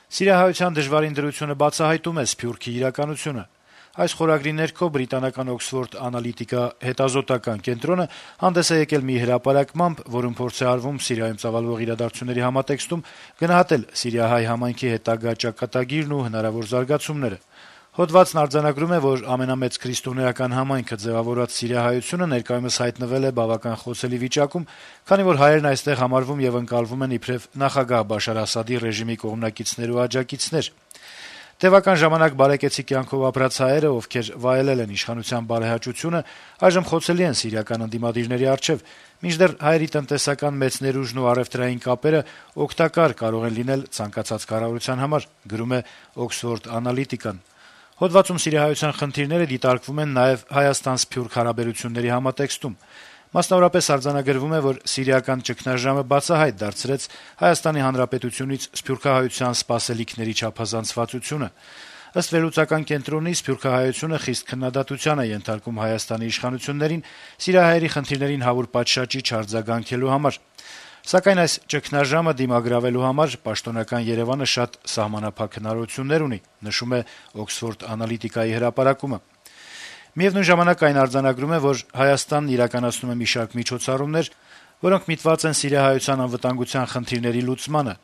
Սիրիահայության դժվարին դրությունը բացահայտում է Սփյուռքի իրականությունը։ Այս խորագրի ներքո բրիտանական Oxford Analytica հետազոտական կենտրոնը հանդես է եկել մի հրապարակմամբ, որում փորձ է արվում Սիրիայում ծավալվող իրադարձությունների համատեքստում գնահատել սիրիահայ համայնքի հետագա ճակատագիրն ու հնարավոր զարգացումները։ Հոդվածն արձանագրում է, որ ամենամեծ քրիստոնեական համայնքը ձևավորած սիրիահայությունը ներկայումս հայտնվել է բավական խոցելի վիճակում, քանի որ հայերն այստեղ համարվում եւ ընկալվում են իբրև նախագահ Բաշար Ասադի ռեժիմի կողմնակիցներ ու աջակիցներ։ Տևական ժամանակ բարեկեցիկ կյանքով ապրած հայերը, ովքեր վայելել են իշխանության բարեհաճությունը, այժմ խոցելի են սիրիական ընդդիմադիրների առջեւ, մինչդեռ հայերի տնտեսական մեծ ներուժն ու առեւտրային կապերը օգտակար կարող են լինել ցանկացած կառավարության համար, գրում է Oxford Analytica-ն։ Հոդվածում սիրիահայության խնդիրները դիտարկվում են նաեւ Հայաստան-Սփյուռք հարաբերությունների համատեքստում։ Մասնավորապես արձանագրվում է, որ սիրիական ճգնաժամը բացահայտ դարձրեց Հայաստանի Հանրապետությունից սփյուռքահայության սպասելիքների չափազանցվածությունը։ Ըստ վերլուծական կենտրոնի, սփյուռքահայությունը խիստ քննադատության է ենթարկում Հայաստանի իշխանություններին սիրիահայերի խնդիրներին հավուր պատշաճի չարձագանքելու համար։ Սակայն այս ճգնաժամը դիմագրավելու համար պաշտոնական Երևանը շատ սահմանափակ հնարավորություններ ունի, նշում է Oxford Analytica-ի հրապարակումը։ Միևնույն ժամանակ այն արձանագրում է, որ Հայաստանն իրականացնում է մի շարք միջոցառումներ, որոնք միտված են սիրիահայության անվտանգության խնդիրների լուծմանը։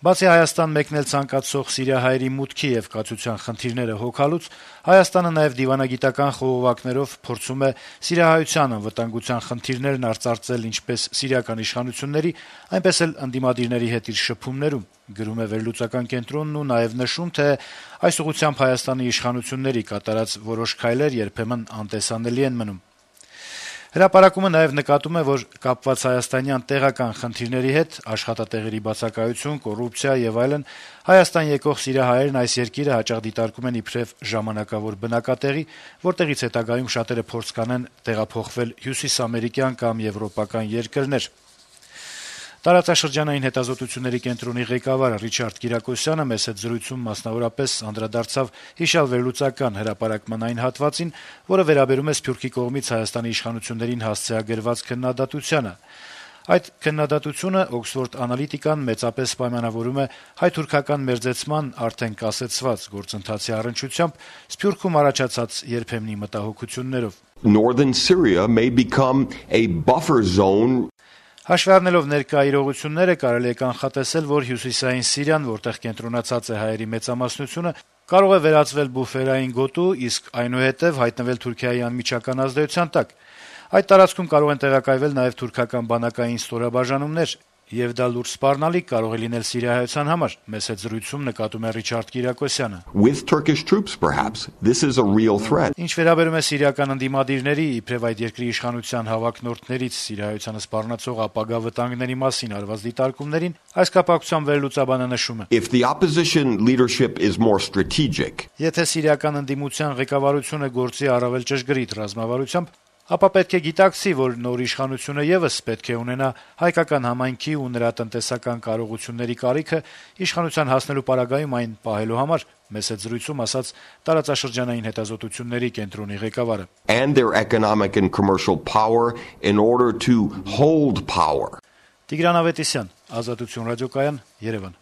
Բացի Հայաստան մեկնել ցանկացող սիրիահայերի մուտքի եւ կացության խնդիրները հոգալուց, Հայաստանը նաեւ դիվանագիտական խողովակներով փորձում է սիրիահայության անվտանգության խնդիրներն արծարծել ինչպես սիրիական իշխանությունների, այնպես էլ ընդդիմադիրների հետ իր շփումներում, գրում է վերլուծական կենտրոնն ու նաեւ նշում, թե այս ուղղությամբ Հայաստանի իշխանությունների կատարած որոշ քայլեր երբեմն անտեսանելի են մնում։ Հրապարակումը նաեւ նկատում է, որ կապված հայաստանյան տեղական խնդիրների հետ աշխատատեղերի բացակայություն, կոռուպցիա եւ այլն Հայաստան եկող սիրիահայերն այս երկիրը հաճախ դիտարկում են իբրև ժամանակավոր բնակատեղի, որտեղից հետագայում շատերը փորձ կանեն տեղափոխվել հյուսիսամերիկյան կամ եվրոպական երկրներ։ Տարածաշրջանային հետազոտությունների կենտրոնի ղեկավար Ռիչարդ Կիրակոսյանը մեծ հետ զրույցում մասնավորապես անդրադարձավ հիշյալ վերլուծական հրապարակման այն հատվածին, որը վերաբերում է Սփյուռքի կողմից Հայաստանի իշխանություններին հասցեագրված քննադատությանը։ Այդ քննադատությունը Oxford Analytica-ն մեծապես պայմանավորում է հայ-թուրքական մերձեցման արդեն կասեցված գործընթացի առնչությամբ Սփյուռքում առաջացած երբեմնի մտահոգություններով։ Northern Syria may become a buffer zone. Հաշվի առնելով ներկա իրողությունները կարելի է կանխատեսել, որ հյուսիսային Սիրիան, որտեղ կենտրոնացած է հայերի մեծամասնությունը, կարող է վերածվել բուֆերային գոտու, իսկ այնուհետև հայտնվել Թուրքիայի անմիջական ազդեցության տակ։ Այդ տարածքում կարող են տեղակայվել նաև թուրքական բանակային ստորաբաժանումներ, եւ դա լուրջ սպառնալիք կարող է լինել սիրիահայության համար, մեծ հետ զրույցում նկատում է Ռիչարդ Կիրակոսյանը։ With Turkish troops perhaps this is a real threat. Ինչ վերաբերում է սիրիական ընդդիմադիրների, իբրև այդ երկրի իշխանության հավակնորդներից սիրիահայությանը սպառնացող ապագա վտանգների մասին արված դիտարկումներին, այս կապակցությամբ վերլուծաբանը նշում է. If the opposition leadership is more strategic. Եթե սիրիական ընդդիմության ղեկավարությունը գործի առավել ճշգրիտ ռազմավարությամբ, ապա պետք է գիտակցի, որ նոր իշխանությունը եւս պետք է ունենա հայկական համայնքի ու նրա տնտեսական կարողությունների կարիքը իշխանության հասնելու պարագայում այն պահելու համար, մեծ հետ զրույցում ասաց տարածաշրջանային հետազոտությունների կենտրոնի ղեկավարը։ And their economic and commercial power in order to hold power. Տիգրան Ավետիսյան, Ազատություն ռադիոկայան, Երևան։